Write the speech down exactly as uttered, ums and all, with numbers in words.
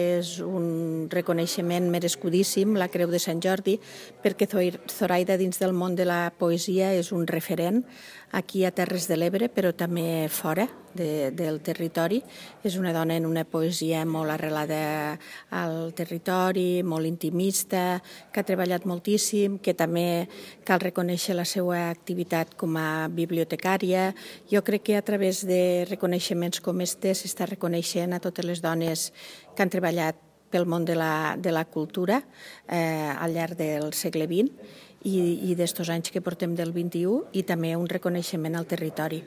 És un reconeixement merescudíssim, la Creu de Sant Jordi, perquè Zoraida dins del món de la poesia és un referent aquí a Terres de l'Ebre, però també fora de, del territori. És una dona en una poesia molt arrelada al territori, molt intimista, que ha treballat moltíssim, que també cal reconèixer la seva activitat com a bibliotecària. Jo crec que a través de reconeixements com este s'està reconeixent a totes les dones que han treballat pel món de la, de la cultura eh, al llarg del segle vint i, i d'estos anys que portem del vint-i-u, i també un reconeixement al territori.